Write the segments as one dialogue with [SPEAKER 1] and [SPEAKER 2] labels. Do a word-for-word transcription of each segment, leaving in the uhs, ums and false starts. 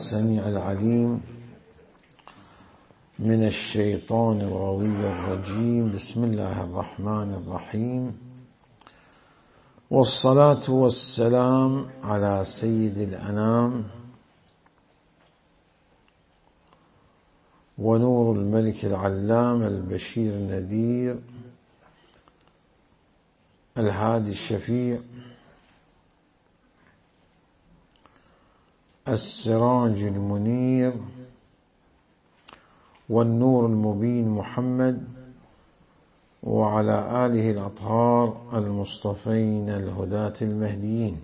[SPEAKER 1] السميع العليم من الشيطان الغوي الرجيم. بسم الله الرحمن الرحيم، والصلاة والسلام على سيد الأنام ونور الملك العلام البشير النذير الهادي الشفيع السراج المنير والنور المبين محمد وعلى آله الأطهار المصطفين الهداة المهديين.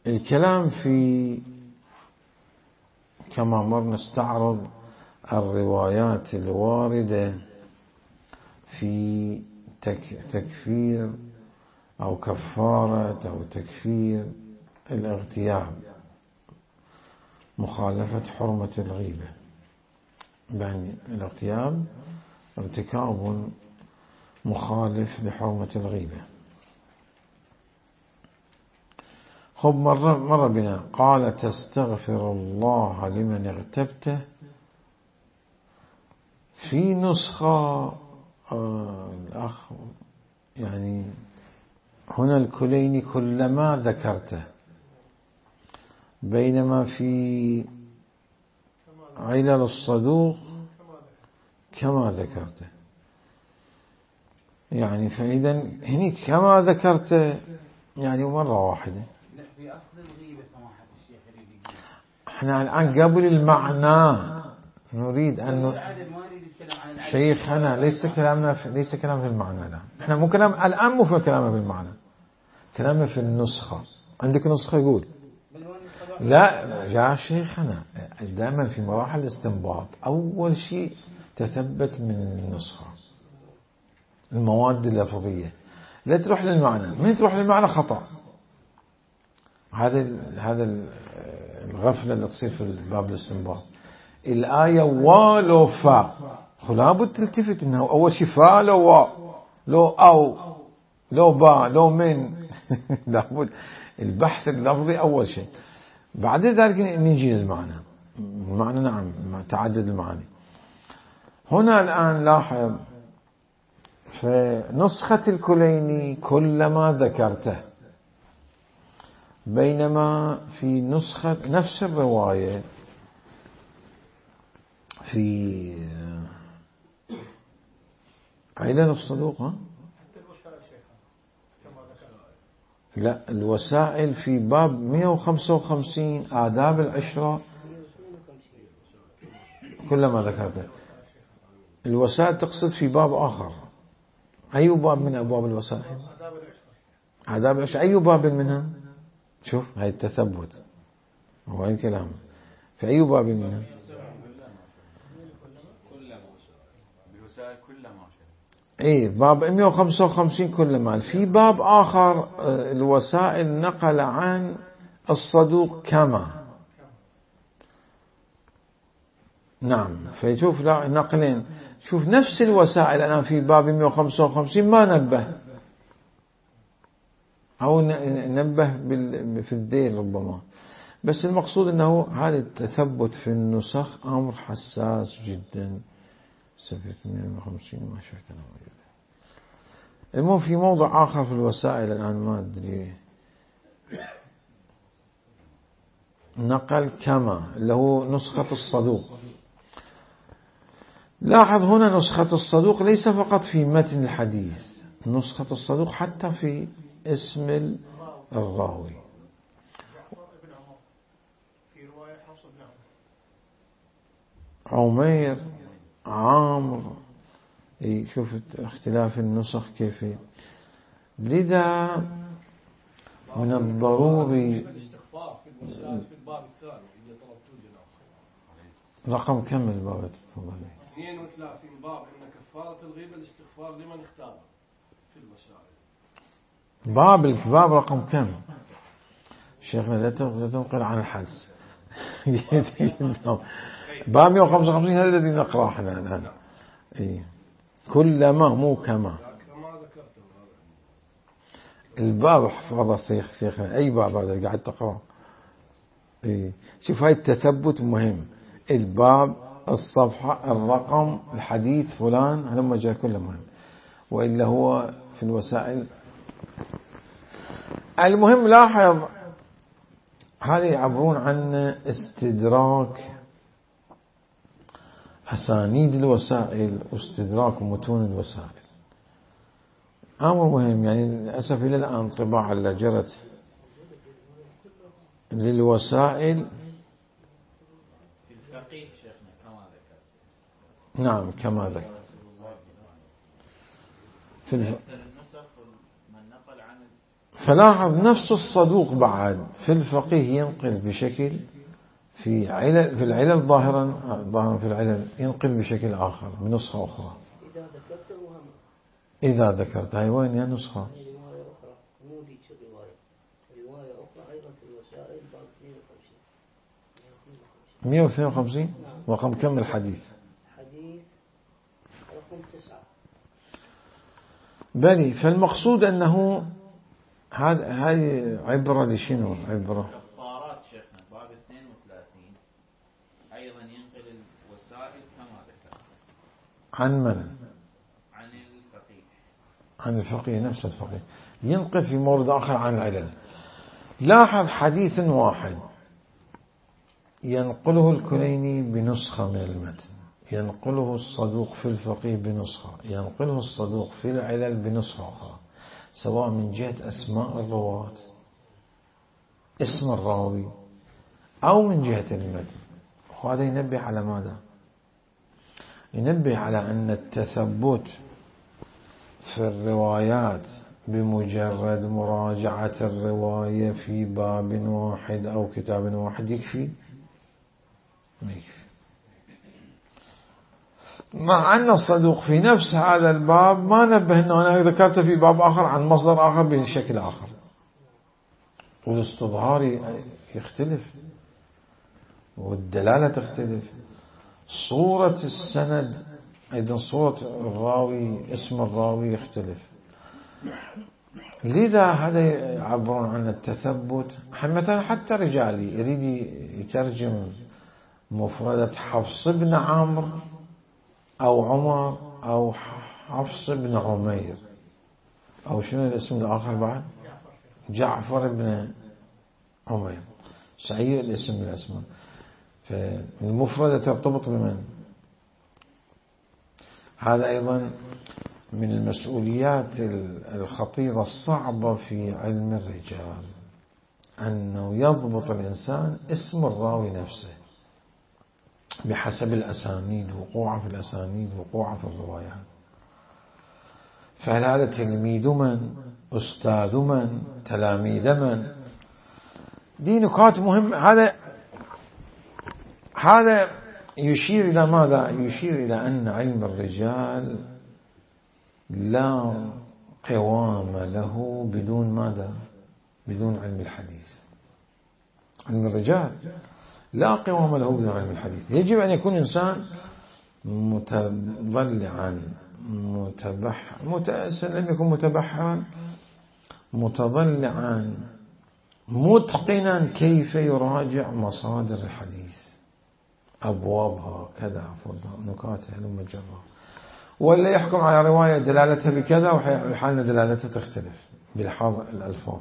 [SPEAKER 1] الكلام في كما مر نستعرض الروايات الواردة في تكفير أو كفارة أو تكفير الاغتياب، مخالفة حرمة الغيبة. يعني الاغتياب ارتكاب مخالف لحرمة الغيبة. خب مرة, مرة بنا قال تستغفر الله لمن اغتبته. في نسخة آه الأخ يعني هنا الكليني كلما ذكرته، بينما في علل الصدوق كما ذكرته. يعني فإذا هني كما ذكرته يعني مرة واحدة.
[SPEAKER 2] في أصل الغيبة سماحة الشيخ يريد.
[SPEAKER 1] احنا الآن قبل المعنى نريد أن شيخنا ليس كلامنا في ليس كلام في المعنى. لا احنا مو كلام الآن، مو في كلامنا في المعنى، كلامنا في النسخة. عندك نسخة يقول لا يا شيخنا دائما في مراحل الاستنباط أول شيء تثبت من النسخة المواد اللفظية، لا تروح للمعنى. من تروح للمعنى خطأ. هذا هذا الغفلة اللي تصير في باب الاستنباط. الآية ولو فا، لابد تلتفت انه اول شيء فا لو وا لو او لو با لو من لابد البحث اللفظي اول شيء، بعد ذلك نجي للمعنى. المعنى نعم تعدد المعاني. هنا الآن لاحظ في نسخة الكليني كلما ذكرته، بينما في نسخة نفس الرواية في علل الصدوق ها؟ لا الوسائل في باب مئة وخمسة وخمسين آداب العشرة كلما ذكرته. الوسائل تقصد في باب آخر. أي باب من أبواب الوسائل؟ آداب العشرة. أي باب منها؟ شوف هاي التثبت هو الكلام في أي باب منها؟ اي باب مئة وخمسة وخمسين كلما. في باب آخر الوسائل نقل عن الصدوق كما. نعم فيشوف نقلين. شوف نفس الوسائل الآن في باب مئة وخمسة وخمسين ما نبه أو نبه في الذيل ربما، بس المقصود أنه هذا التثبت في النسخ أمر حساس جدا. صفحة مئة وخمسين ما شفت أنا موجودة. المهم في موضع آخر في الوسائل الآن ما أدري نقل كما اللي هو نسخة الصدوق. لاحظ هنا نسخة الصدوق ليس فقط في متن الحديث، نسخة الصدوق حتى في اسم الراوي. عمير عامر. شوف اختلاف النسخ كيف. لذا من الضروري رقم كم الباب تفضل؟
[SPEAKER 3] اثنين وثلاثين باب ان كفارة الغيبة الاستغفار لمن اختار في المسائل.
[SPEAKER 1] باب الباب رقم كم؟ شيخنا لا تنقل عن الحدس. باب مئة وخمسة وخمسين هذا الذي نقرأه احنا الآن. إيه كلما مو كما.
[SPEAKER 3] كما ذكرته
[SPEAKER 1] الباب حفظه الشيخ شيخنا، أي باب هذا قاعد تقرأ. إيه شوف هاي التثبت مهم، الباب، الصفحة، الرقم، الحديث فلان، هلما جاء كله مهم، وإلا هو في الوسائل. المهم لاحظ هذا يعبرون عن استدراك أسانيد الوسائل واستدراك متون الوسائل، أمر مهم. يعني للأسف إلى الآن طباعة اللي جرت للوسائل
[SPEAKER 2] في الفقيه شيخنا كما ذكرت.
[SPEAKER 1] نعم كما ذكر في الف...
[SPEAKER 2] من نقل عن
[SPEAKER 1] فلاحظ نفس الصدوق بعد في الفقيه ينقل بشكل، في علل في العلل ظاهرا ظاهرا في العلل ينقل بشكل آخر بنسخة أخرى.
[SPEAKER 4] إذا ذكرت وهم
[SPEAKER 1] إذا ذكرت هاي وين يا نسخة؟
[SPEAKER 4] رواية أخرى مو ذيك الرواية، رواية أخرى أيضا في الوسائل باب اثنين وخمسين
[SPEAKER 1] مئة واثنين وخمسين رقم كم الحديث؟
[SPEAKER 4] حديث رقم تسعة.
[SPEAKER 1] بلي فالمقصود أنه هذا هذه عبرة لشنو؟ عبرة
[SPEAKER 2] كفارات شيخنا باب اثنين وثلاثين أيضا ينقل الوسائل كما ذكر.
[SPEAKER 1] عن من؟
[SPEAKER 2] عن الفقيه.
[SPEAKER 1] عن الفقيه نفس الفقيه ينقل في مورد آخر عن العلل. لاحظ حديث واحد ينقله الكليني بنسخة من المتن، ينقله الصدوق في الفقيه بنسخة، ينقله الصدوق في العلل بنسخة أخرى، سواء من جهة أسماء الرواة اسم الراوي أو من جهة المتن. وهذا ينبه على ماذا؟ ينبه على أن التثبت في الروايات بمجرد مراجعة الرواية في باب واحد أو كتاب واحد يكفي؟ ما يكفي. مع أن الصدوق في نفس هذا الباب ما نبه أنه أنا ذكرت في باب آخر عن مصدر آخر بشكل آخر، والاستظهار يختلف والدلالة تختلف، صورة السند أيضا صورة الراوي اسم الراوي يختلف. لذا هذا يعبرون عن التثبت. مثلا حتى رجالي يريد يترجم مفردة حفص بن عمرو أو عمر أو حفص بن عمير أو شنو الاسم الآخر بعد؟ جعفر بن عمير، سعي الاسم من الأسماء. فالمفردة ترتبط بمن؟ هذا أيضا من المسؤوليات الخطيرة الصعبة في علم الرجال، أنه يضبط الإنسان اسم الراوي نفسه بحسب الأسانيد، وقوعه في الأسانيد، وقوعه في الروايات. فهل هذا تلميذ من؟ أستاذ من؟ تلاميذ من؟ دي نقاط مهمة. هذا هذا يشير إلى ماذا؟ يشير إلى أن علم الرجال لا قوام له بدون ماذا؟ بدون علم الحديث. علم الرجال لا قوام له بدون علم الحديث. يجب أن يكون إنسان متضلعا متبح متأسا لم يكن متبحرا متضلعا متقنا كيف يراجع مصادر الحديث، أبوابها كذا نكاتها لما جرى، ولا يحكم على رواية دلالتها بكذا وحالنا دلالتها تختلف بلحاظ الألفاظ.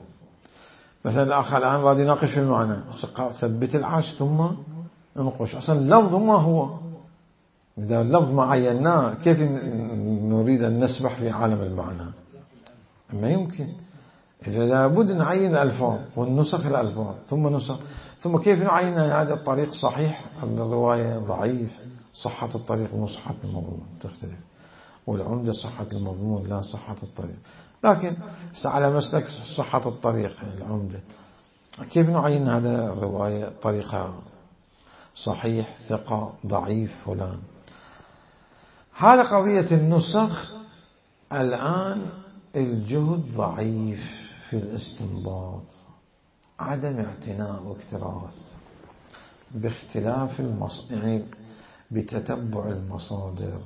[SPEAKER 1] مثلا الأخ الآن راد يناقش في المعنى، ثبت العاش ثم ننقش أصلا اللفظ ما هو. إذا اللفظ ما عيناه كيف نريد أن نسبح في عالم المعنى؟ ما يمكن. إذا لابد نعين الألفاظ والنسخ الألفاظ ثم نسخ، ثم كيف نعين هذا الطريق صحيح الرواية ضعيف، صحة الطريق مو صحة المضمون تختلف، والعمدة صحة المضمون لا صحة الطريق. لكن على مسلك صحة الطريق العمدة كيف نعين هذا الرواية طريقة صحيح ثقة ضعيف فلان. هذا قضية النسخ. الآن الجهد ضعيف في الاستنباط، عدم اعتناء واكتراث باختلاف المص... يعني بتتبع المصادر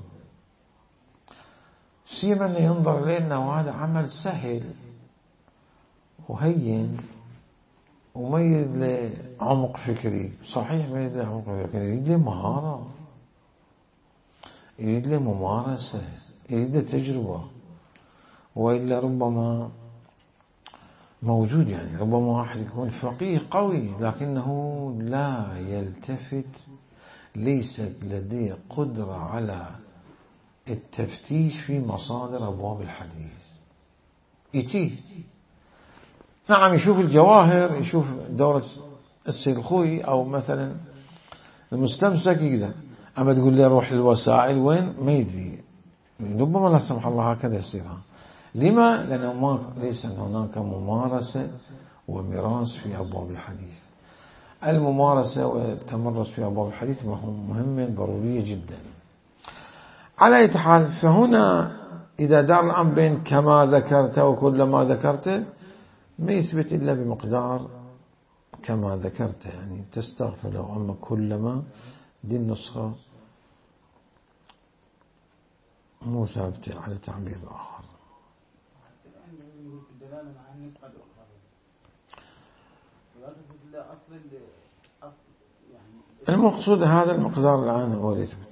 [SPEAKER 1] سيما أنه ينظر إليه أنه هذا عمل سهل وهين وما يريد له عمق فكري. صحيح ما يريد له عمق فكري، يريد له مهارة، يريد له ممارسة، يريد له تجربة. وإلا ربما موجود، يعني ربما واحد يكون فقيه قوي لكنه لا يلتفت، ليست لديه قدرة على التفتيش في مصادر أبواب الحديث. يتيه نعم يشوف الجواهر، يشوف دورة السيد الخوي أو مثلا المستمسك يقدر، أما تقول لي روح للوسائل وين ما يدري. ربما لا سمح الله هكذا يصيرها. لما؟ لأنه ما ليس هناك ممارسة ومراس في أبواب الحديث. الممارسة والتمرس في أبواب الحديث مهمة ضرورية جدا. على أي حال، فهنا إذا دار الأمر بين كما ذكرت وكل ما ذكرت ما يثبت إلا بمقدار كما ذكرت، يعني تستغفر له. أما كلما دي النسخة مو ثابتة على تعبير آخر. المقصود هذا المقدار الآن هو يثبت.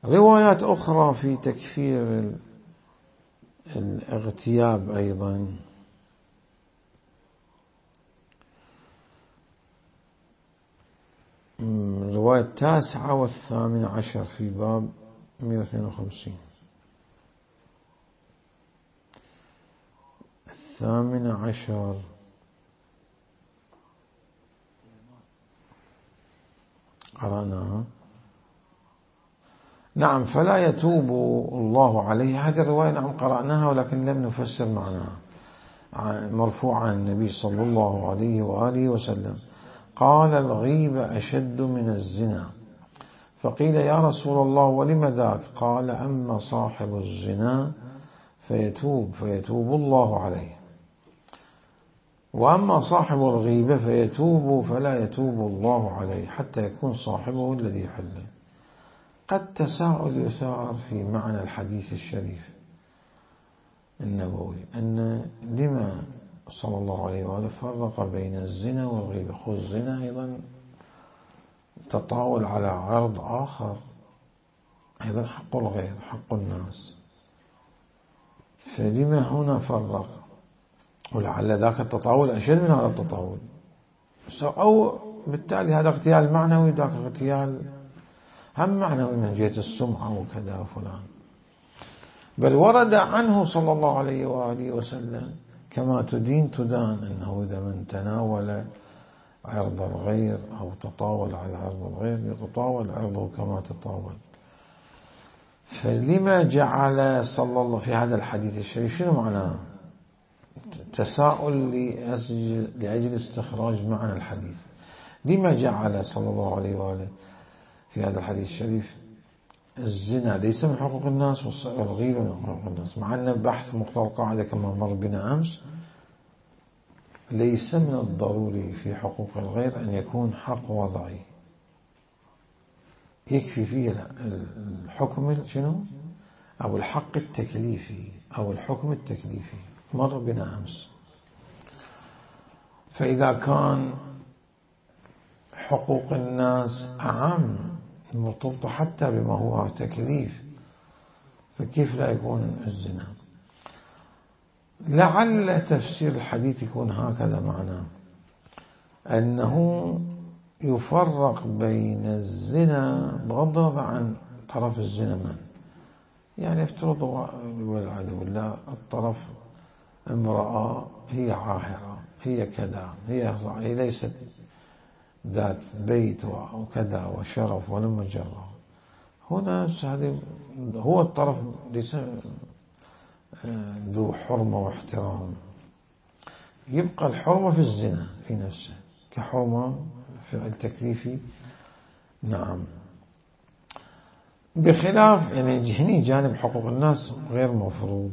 [SPEAKER 1] روايات أخرى في تكفير الاغتياب أيضا، الرواية التاسعة والثامنة عشر في باب مئة واثنين وخمسين. الثامنة عشر قرأناها. نعم، فلا يتوب الله عليه. هذه الرواية نعم قرأناها ولكن لم نفسر معناها. مرفوع عن النبي صلى الله عليه وآله وسلم قال: الغيبة أشد من الزنا. فقيل: يا رسول الله ولم ذاك؟ قال: أما صاحب الزنا فيتوب فيتوب الله عليه، وأما صاحب الغيبة فيتوب فلا يتوب الله عليه حتى يكون صاحبه الذي يحله. قد تساؤل يثار في معنى الحديث الشريف النبوي أن لما صلى الله عليه وآله فرق بين الزنا والغيبة. خذ الزنا أيضا تطاول على عرض آخر، أيضا حق الغير، حق الناس، فلما هنا فرق؟ ولعل ذاك التطاول أشد من هذا التطاول، أو بالتالي هذا اغتيال معنوي، ذاك اغتيال هم معنوي من جهة السمعة وكذا وفلان. بل ورد عنه صلى الله عليه وآله وسلم كما تدين تدان، أنه إذا من تناول عرض الغير أو تطاول على عرض الغير يتطاول عرضه كما تطاول. فلما جعل صلى الله في هذا الحديث الشريف، شنو معناه؟ تساؤل لأجل استخراج معنى الحديث. لما جعل صلى الله عليه وآله في هذا الحديث الشريف الزنا ليس من حقوق الناس والغيبة من حقوق الناس، مع أن بحث مقتضى القاعدة كما مر بنا أمس ليس من الضروري في حقوق الغير أن يكون حق وضعي، يكفي فيه الحكم شنو أو الحق التكليفي أو الحكم التكليفي مر بنا أمس. فإذا كان حقوق الناس أعم مرتبطة حتى بما هو تكليف، فكيف لا يكون الزنا؟ لعل تفسير الحديث يكون هكذا معناه، أنه يفرق بين الزنا بغض النظر عن طرف الزنا من، يعني افترض والعياذ بالله الطرف امرأة هي عاهرة، هي كذا، هي, هي ليست ذات بيت وكذا وشرف ولم جرى. هنا هو الطرف ليس ذو حرمة واحترام، يبقى الحرمة في الزنا في نفسه كحرمة في التكليفي. نعم، بخلاف يعني هني جانب حقوق الناس غير مفروض،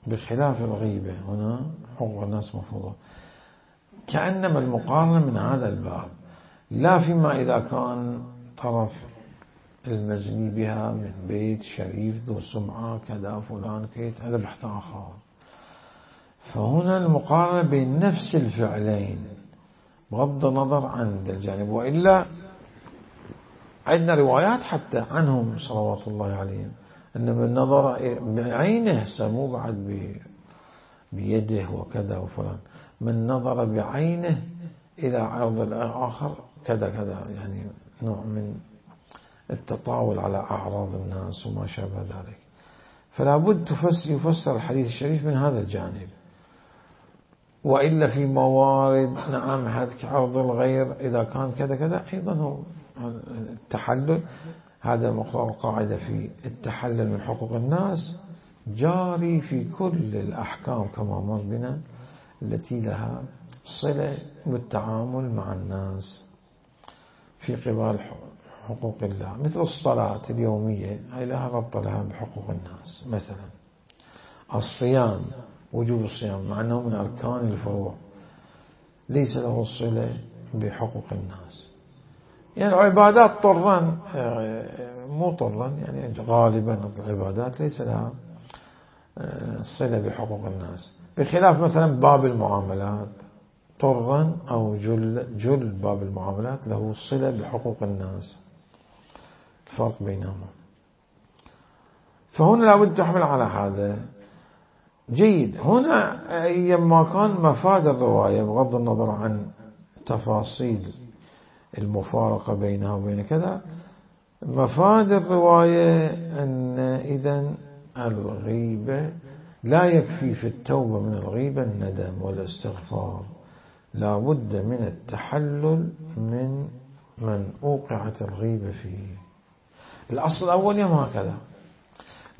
[SPEAKER 1] بخلاف الغيبة هنا حقوق الناس مفروضة. كأنما المقارنة من هذا الباب، لا فيما إذا كان طرف المزني بها من بيت شريف ذو سمعة كذا فلان كيت، هذا بحث آخر. فهنا المقارنة بين نفس الفعلين بغض النظر عن الجانب. وإلا عندنا روايات حتى عنهم صلوات الله عليهم أن من نظر بعينه، سمو بعد بيده وكذا وفلان، من نظر بعينه إلى عرض الآخر كذا كذا، يعني نوع من التطاول على أعراض الناس وما شابه ذلك. فلا بد يفسر الحديث الشريف من هذا الجانب. وإلا في موارد نعم هذا عرض الغير إذا كان كذا كذا أيضا هو التحلل. هذا مقرر القاعدة في التحلل من حقوق الناس جاري في كل الأحكام كما مر بنا التي لها صلة بالتعامل مع الناس في قبال حقوق الله، مثل الصلاة اليومية هي لها ربط لها بحقوق الناس. مثلا الصيام، وجوب الصيام مع أنه من أركان الفروع ليس له صلة بحقوق الناس. يعني العبادات طرا مو طرا، يعني غالبا العبادات ليس لها صلة بحقوق الناس، بخلاف مثلا باب المعاملات طرا أو جل, جل باب المعاملات له صلة بحقوق الناس، الفرق بينهما. فهنا لابد تحمل على هذا. جيد. هنا أيما كان مفاد الرواية بغض النظر عن تفاصيل المفارقة بينها وبين كذا، مفاد الرواية أن إذن الغيبة لا يكفي في التوبة من الغيبة الندم والاستغفار، لا بد من التحلل من من أوقعت الغيبة فيه. الأصل الأول يوم هكذا،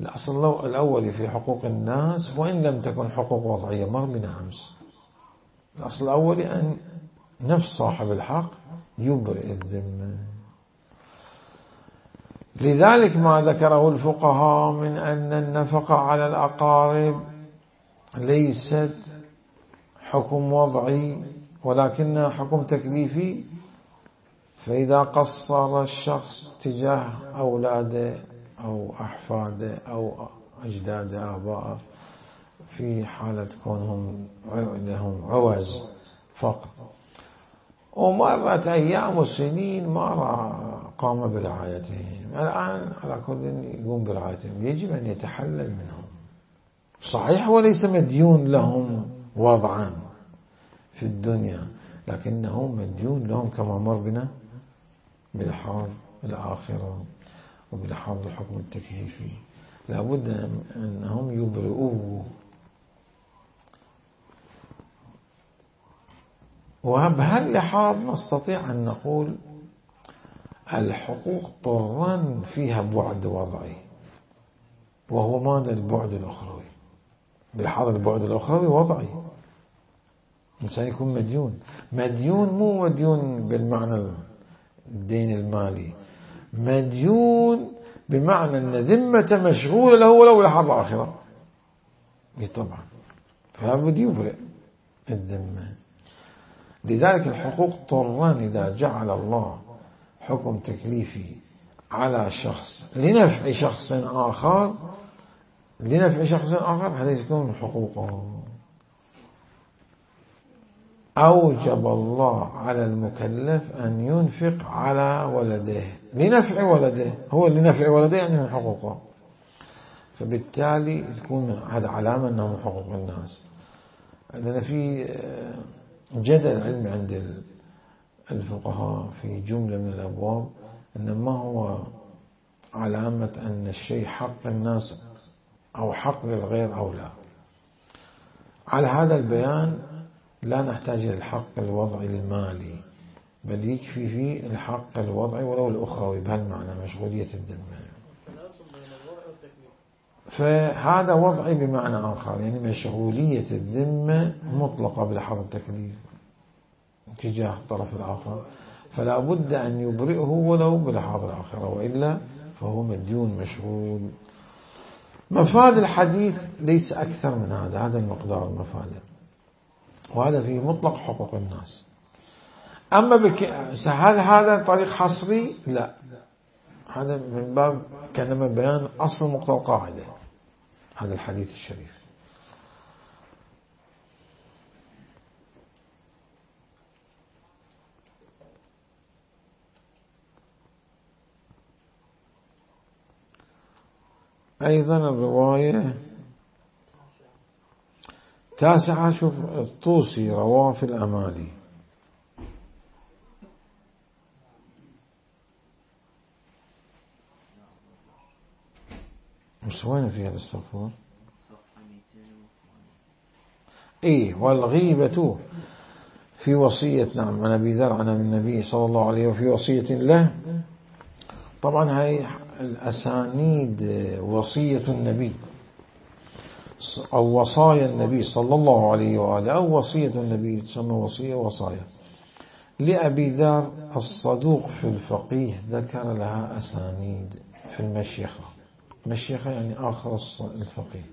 [SPEAKER 1] الأصل الأول في حقوق الناس وإن لم تكن حقوق وضعية مر بنا أمس، الأصل الأول أن نفس صاحب الحق يبرئ الذمة. لذلك ما ذكره الفقهاء من أن النفقة على الأقارب ليست حكم وضعي ولكنها حكم تكليفي. فإذا قصر الشخص تجاه أولاده أو أحفاده أو أجداده آباءه في حالة كونهم لهم عوز فقط، ومرت أيام وسنين ما قام برعايتهم، الآن على كل يقوم برعايتهم، يجب أن يتحلل منهم. صحيح وليس مديون لهم وضعا في الدنيا، لكنه مديون لهم كما مر بنا بالحاض الآخرة وبالحاض الحكم التكليفي، لابد أنهم يبرئوه. وبهاللحاظ نستطيع أن نقول الحقوق طرا فيها بعد وضعي، وهو ماذا البعد الأخروي. بالحاض البعد الأخروي وضعي، الإنسان يكون مديون. مديون مو مديون بالمعنى الدين المالي، مديون بمعنى أن ذمة مشغولة له ولو بالحاض الآخرة طبعا، فلابد يبرئ الذمة. لذلك الحقوق طرا إذا جعل الله حكم تكليفي على شخص لنفع شخص آخر لنفع شخص آخر هذا يكون حقوقه. أوجب الله على المكلف أن ينفق على ولده لنفع ولده، هو لنفع ولده يعني من حقوقه، فبالتالي تكون هذا علامة أنه من حقوق الناس. عندنا في جدل علمي عند الفقهاء في جملة من الأبواب أن ما هو علامة أن الشيء حق الناس أو حق للغير أو لا. على هذا البيان لا نحتاج إلى الحق الوضعي المالي، بل يكفي فيه الحق الوضعي ولو الأخروي بهالمعنى مشغولية الذمة. فهذا وضعي بمعنى آخر، يعني مشغولية الذمة مطلقة بلحظ التكليف تجاه الطرف الآخر، فلا بد أن يبرئه ولو بلحظ الآخرة، وإلا فهو مديون مشغول. مفاد الحديث ليس أكثر من هذا، هذا المقدار المفاد، وهذا في مطلق حقوق الناس. أما بك... هل هذا طريق حصري؟ لا، هذا من باب كلمة بيان أصل مقتضى القاعدة هذا الحديث الشريف. أيضا الرواية تاسعة، شوف الطوسي رواه في الأمالي. مش وين فيها الاستغفار؟ إيه والغيبة في وصية، نعم عن أبي ذر عن النبي صلى الله عليه وفي وصية له. طبعا هاي الأسانيد وصية النبي أو وصايا النبي صلى الله عليه وآله أو وصية النبي تسمى وصية وصايا. لأبي ذر الصدوق في الفقيه ذكر لها أسانيد في المشيخة. مشيخة يعني آخر الفقيه.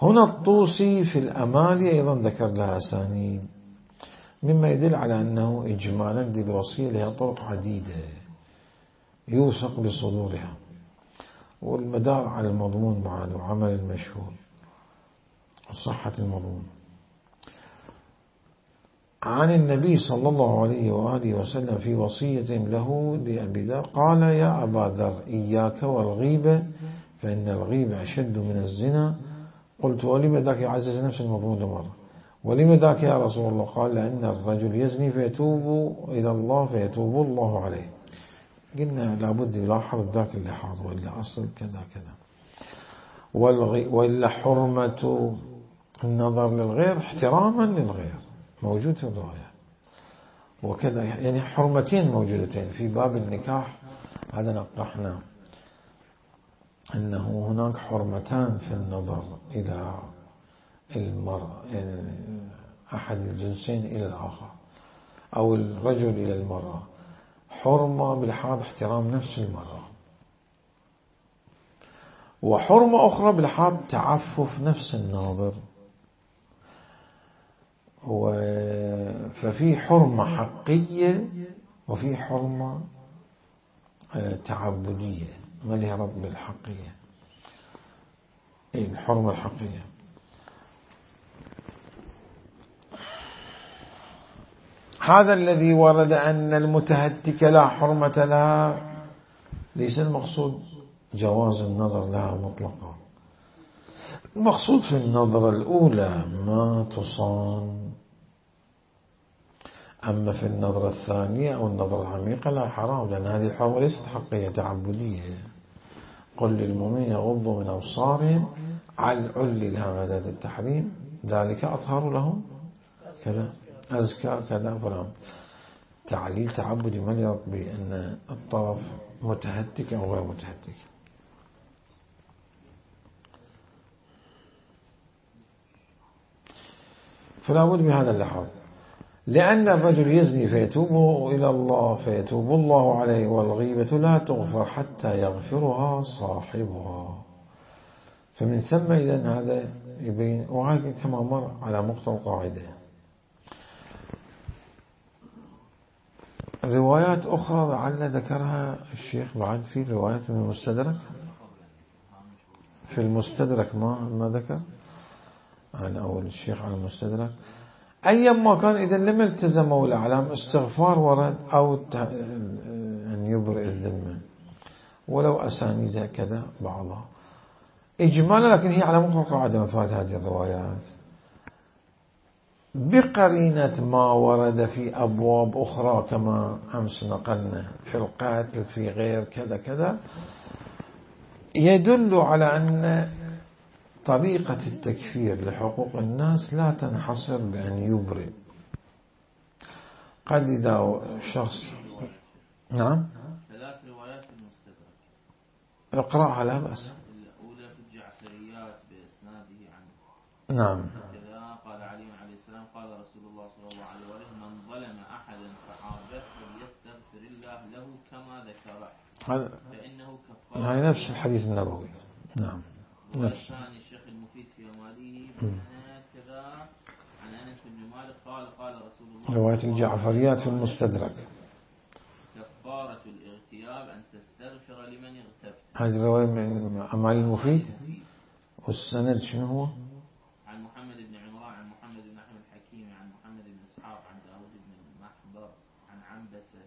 [SPEAKER 1] هنا الطوسي في الأمالي أيضا ذكر لها أسانيد، مما يدل على أنه إجمالا دي الوصية لها طرق عديدة يوثق بصدورها، والمدار على المضمون بعد وعمل المشهور وصحة المضمون. عن النبي صلى الله عليه وآله وسلم في وصية له لأبي ذر قال: يا أبا ذر إياك والغيبة فإن الغيبة أشد من الزنا. قلت: ولم ذاك يعزز نفس المضمون مرة، ولم ذاك يا رسول الله؟ قال: لأن الرجل يزني فيتوب إلى الله فيتوب الله عليه. قلنا لابد يلاحظ ذاك اللي حاضر وإلا أصل كذا كذا. وإلا حرمة النظر للغير احتراما للغير موجود في الرواية وكذا، يعني حرمتين موجودتين في باب النكاح. هذا نقحنا أنه هناك حرمتان في النظر إلى المرأة، يعني أحد الجنسين إلى الآخر أو الرجل إلى المرأة. حرمة بلحاظ احترام نفس المرأة، وحرمة أخرى بلحاظ تعفف نفس الناظر. ففي حرمة حقية وفي حرمة تعبدية ما لها رب بالحقية. إيه الحرمة الحقية؟ هذا الذي ورد أن المتهتك لا حرمة لها، ليس المقصود جواز النظر لها مطلقا. المقصود في النظرة الأولى ما تصان، أما في النظرة الثانية أو النظرة العميقة لا حرام، لأن هذه الحرمة ليست حقية تعبدية. قل للمؤمنين يغضوا من أبصارهم على العل لها مدد التحريم ذلك أطهر لهم كذا أزكى كذا فلان. تعليل تعبدي ما يرد بأن الطرف متهتك أو غير متهتك. فلا بد من هذا اللحاظ، لأن الرجل يزني فيتوب إلى الله فيتوب الله عليه، والغيبة لا تغفر حتى يغفرها صاحبها. فمن ثم إذن هذا يبين، وهذا كما مر على مقتضى القاعدة. روايات أخرى لعل ذكرها الشيخ بعد في روايات من المستدرك، في المستدرك ما ما ذكر عن أول الشيخ على المستدرك. أيما كان إذا لم التزموا الأعلام استغفار ورد أو أن يبرئ الذمة، ولو أسانيد كذا بعضها إجمالا، لكن هي على مقتضى القاعدة مفاد هذه الروايات بقرينة ما ورد في أبواب أخرى كما أمس نقلنا في القاتل في غير كذا كذا، يدل على أن طريقة التكفير لحقوق الناس لا تنحصر بأن يبرئ. قد إذا شخص نعم
[SPEAKER 2] ثلاث روايات المستدرك
[SPEAKER 1] اقرأها لا بأس.
[SPEAKER 2] الأولى في الجعفريات بإسناده عنه
[SPEAKER 1] نعم
[SPEAKER 2] كذا قال علي عليه السلام قال رسول الله صلى الله عليه وسلم من ظلم أحدا صحابه فليستغفر الله له كما ذكره فإنه كفارة.
[SPEAKER 1] هذا نفس الحديث النبوي. نعم نفس.
[SPEAKER 2] والثاني الشيخ المفيد في أماله بسند كذا عن أنس بن مالك قال قال رسول الله
[SPEAKER 1] رواية الجعفريات في المستدرك
[SPEAKER 2] كفارة الاغتياب أن
[SPEAKER 1] هذه الرواية من أعمال المفيد. والسند شنو هو؟
[SPEAKER 2] عن محمد بن عمران عن محمد بن أحمد الحكيم عن محمد بن إسحاق عن داود بن المحبر عن عنبسة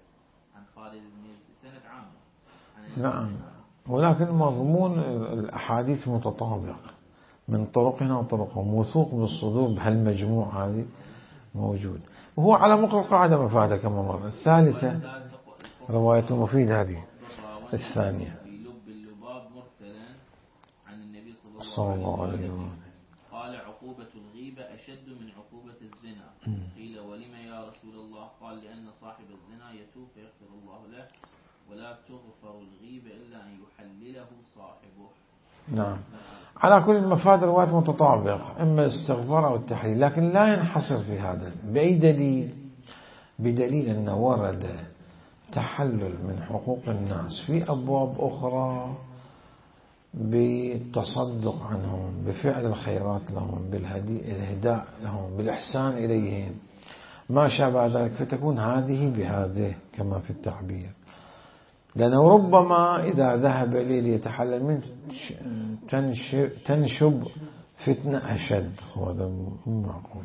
[SPEAKER 2] عن خالد بن يزيد. سند عامة.
[SPEAKER 1] نعم، ولكن مضمون الأحاديث متطابق من طرقنا وطرقهم، موثوق بالصدور بهالمجموعة هذه موجود. وهو على مقر قاعدة مفادة كما مرة. الثالثة رواية المفيد هذه الثانية
[SPEAKER 2] في لب اللباب مرسلا عن النبي صلى الله عليه وسلم قال عقوبة الغيبة أشد من عقوبة الزنا. قيل ولم يا رسول الله؟ قال لأن صاحب الزنا يتوب فيغفر الله له ولا تغفر الغيبة إلا أن يحلله صاحبه.
[SPEAKER 1] نعم، على كل المفاد روايات متطابقة، إما الاستغفار أو التحليل، لكن لا ينحصر في هذا. بأي دليل؟ بدليل أن ورد تحلل من حقوق الناس في أبواب أخرى بالتصدق عنهم، بفعل الخيرات لهم، بالإهداء لهم، بالإحسان إليهم، ما شابه ذلك، فتكون هذه بهذه كما في التعبير. لأنه ربما إذا ذهب إليه ليتحلل منه تنشب فتنة أشد، هذا مو معقول.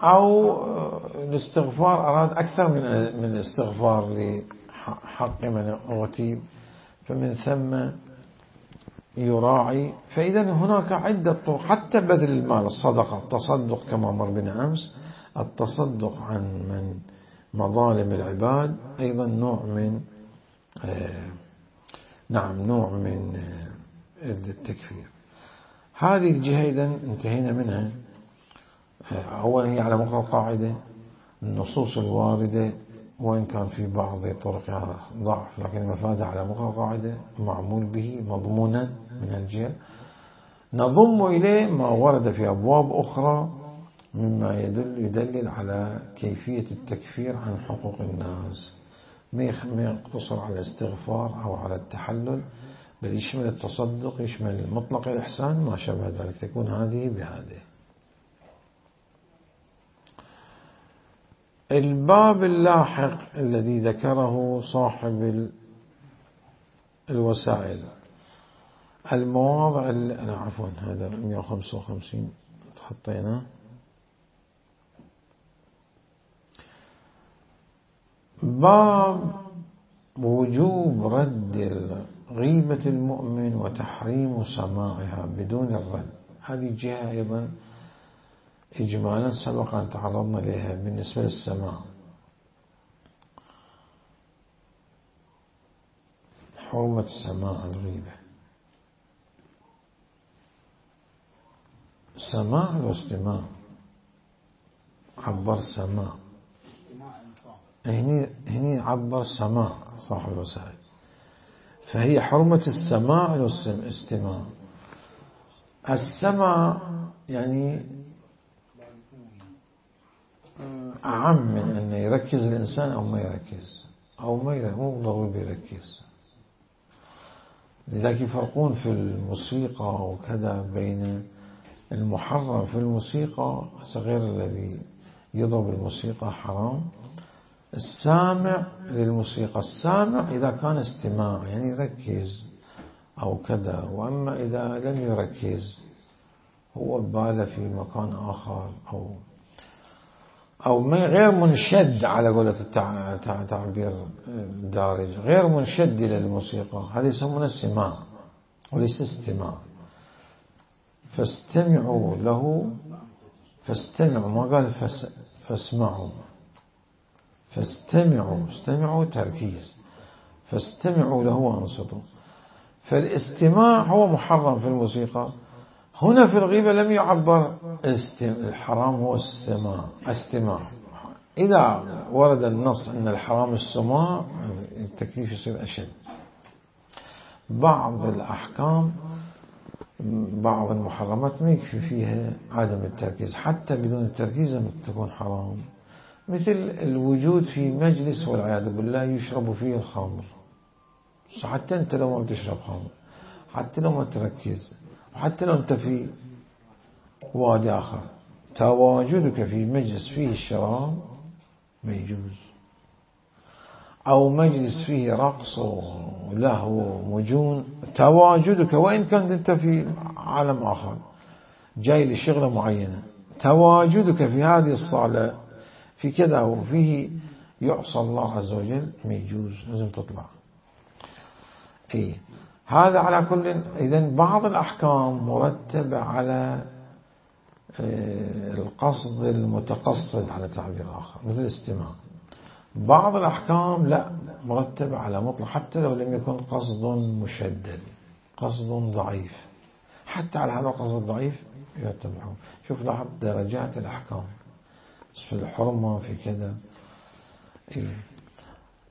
[SPEAKER 1] أو الاستغفار أراد أكثر من من الاستغفار لحق من أغتيب، فمن ثم يراعي. فإذا هناك عدة طرق، حتى بذل المال، الصدقة، التصدق كما مر بنا أمس، التصدق عن من مظالم العباد أيضا نوع من آه نعم نوع من آه التكفير. هذه الجهة إذا انتهينا منها. آه أولا هي على مقر القاعدة، النصوص الواردة وإن كان في بعض طرقها ضعف، لكن المفاد على مقر القاعدة معمول به مضمونا من الجهة. نضم إليه ما ورد في أبواب أخرى مما يدل يدلل على كيفية التكفير عن حقوق الناس، ما يقتصر على الاستغفار أو على التحلل، بل يشمل التصدق، يشمل مطلق الإحسان، ما شابه ذلك، تكون هذه بهذه. الباب اللاحق الذي ذكره صاحب الوسائل، المواضع لا عفوا هذا مئة وخمسة وخمسين تحطيناه. باب وجوب رد غيبة المؤمن وتحريم سماعها بدون الرد. هذه جهة أيضا إجمالا سبق أن تعرضنا لها بالنسبة للسماع. حرمة سماع الغيبة، سماع واستماع، عبر سماع، هني هني عبر سماع صاحب الوسائل، فهي حرمة السماع والاستماع. السماع يعني أعم من أن يركز الإنسان أو ما يركز، أو ما يركز، مو ضروري يركز. لذلك يفرقون في الموسيقى وكذا بين المحرم في الموسيقى، غير الذي يضرب الموسيقى حرام. السامع للموسيقى، السامع إذا كان استماع يعني يركز أو كذا، وأما إذا لم يركز هو بال في مكان آخر أو أو غير منشد على قولة التعبير الدارج، غير منشد إلى الموسيقى، هذا يسمونه استماع وليس استماع. فاستمعوا له، فاستمعوا، ما قال فس فاسمعوا، فاستمعوا، استمعوا تركيز، فاستمعوا له وانصتوا. فالاستماع هو محرم في الموسيقى. هنا في الغيبة لم يعبر الحرام هو السماع، استماع. إذا ورد النص أن الحرام السماع التكليف يصير أشد. بعض الأحكام، بعض المحرمات ما يكفي فيها عدم التركيز، حتى بدون التركيز تكون حرام. مثل الوجود في مجلس والعياذ بالله يشرب فيه الخمر، حتى أنت لو ما بتشرب خمر، حتى لو ما تركز، وحتى لو أنت في وادي آخر، تواجدك في مجلس فيه الشراب ما يجوز. أو مجلس فيه رقص ولهو ومجون، تواجدك وإن كنت أنت في عالم آخر جاي لشغلة معينة، تواجدك في هذه الصالة في كذا وفيه يعصى الله عز وجل ما يجوز، لازم تطلع. إيه هذا على كل. إذن بعض الأحكام مرتبة على القصد المتقصد على تعبير آخر مثل الاستماع. بعض الأحكام لا، مرتبة على مطلق حتى لو لم يكن قصد مشدد، قصد ضعيف، حتى على هذا القصد الضعيف يتبعون. شوف لاحظ درجات الأحكام في الحرمة في كذا. إيه.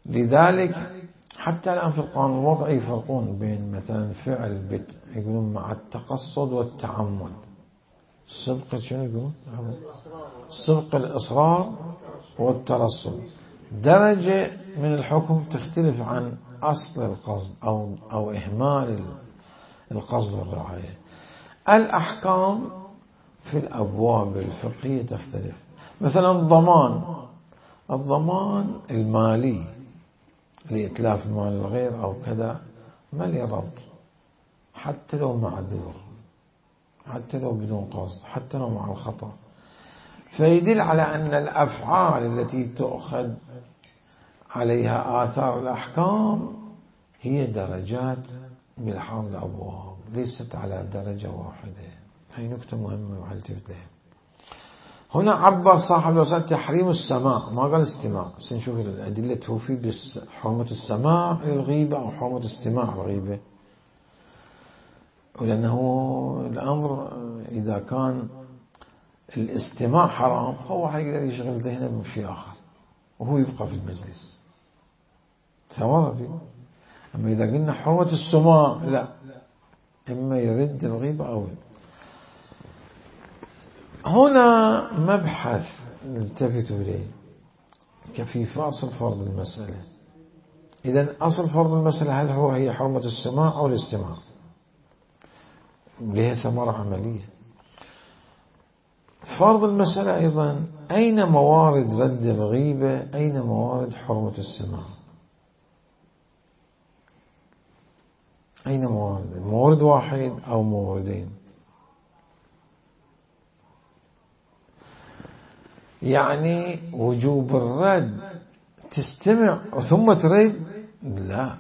[SPEAKER 1] لذلك حتى الآن في القانون الوضعي يفرقون بين مثلا فعل بت يقولون مع التقصد والتعمد. سبق شنو يقولون؟ سبق الإصرار والترصد. درجة من الحكم تختلف عن أصل القصد أو أو إهمال القصد والرعاية. الأحكام في الأبواب الفقهية تختلف. مثلا الضمان، الضمان المالي لإتلاف مال الغير أو كذا ما لي ربط، حتى لو معذور، حتى لو بدون قصد، حتى لو مع الخطأ. فيدل على أن الأفعال التي تؤخذ عليها آثار الأحكام هي درجات بلحاظ الأبواب، ليست على درجة واحدة. هي نكتة مهمة وحلتفت لها. هنا عبر صاحب الوسائل تحريم السماع، ما قال استماع. بس نشوف الأدلة توفي بحرمة السماع للغيبة أو حرمة استماع الغيبة. ولأنه الأمر إذا كان الاستماع حرام هو حيقدر يشغل ذهنه بشيء آخر وهو يبقى في المجلس ثمرة فيه. أما إذا قلنا حرمة السماع لا، إما يرد الغيبة أو هنا مبحث نلتفتوا إليه كيف أصل فرض المسألة. إذن أصل فرض المسألة هل هو هي حرمة السماع أو الاستماع؟ لها ثمرة عملية. فرض المسألة أيضا أين موارد رد الغيبة، أين موارد حرمة السماع، أين موارد؟ مورد واحد أو موردين؟ يعني وجوب الرد تستمع ثم ترد؟ لا،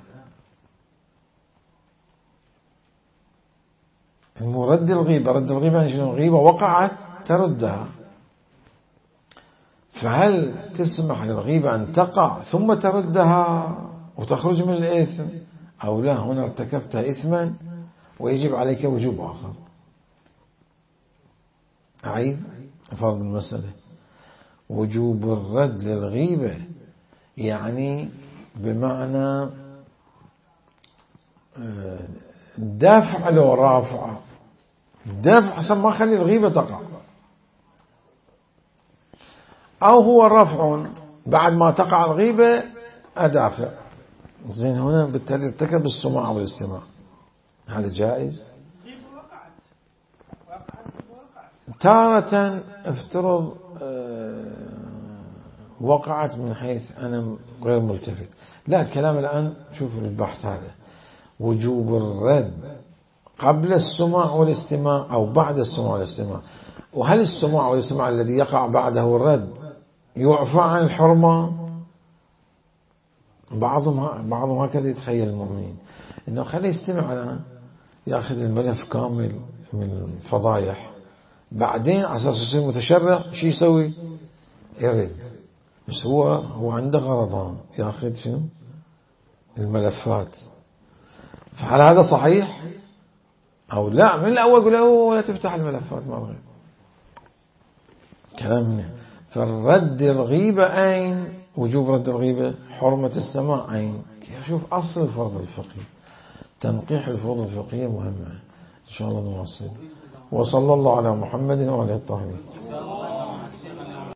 [SPEAKER 1] رد الغيبة، رد الغيبة يعني شنو؟ الغيبة وقعت تردها، فهل تسمح للغيبة أن تقع ثم تردها وتخرج من الإثم أو لا؟ هنا ارتكبت إثما ويجب عليك وجوب آخر. أعيد فرض المسألة. وجوب الرد للغيبة يعني بمعنى دفع لو رافع، دفع عشان ما خلي الغيبة تقع، أو هو رفع بعد ما تقع الغيبة أدافع. زين هنا بالتالي ارتكب السماع والاستماع، هذا جائز. تارة افترض وقعت من حيث أنا غير ملتفت. لا، الكلام الآن شوف البحث هذا وجوب الرد قبل السماع والاستماع أو بعد السماع والاستماع. وهل السماع والاستماع الذي يقع بعده الرد يعفى عن الحرمة؟ بعضهم بعضهم هكذا يتخيل المؤمنين إنه خليه يستمع الآن يأخذ الملف كامل من الفضايح، بعدين على أساس يصير متشرع شو يسوي؟ يرد. بس هو هو عنده غرضان، يأخذ شنو؟ الملفات. فهل هذا صحيح أو لا؟ من الأول يقول له لا تفتح الملفات ما غير كلامنا. فالرد الغيبة أين؟ وجوب رد الغيبة، حرمة السماع أين؟ شوف أصل الفرض الفقهي. تنقيح الفروض الفقهية مهمة. إن شاء الله نواصل. وصلى الله على محمد وعلى الطاهرين.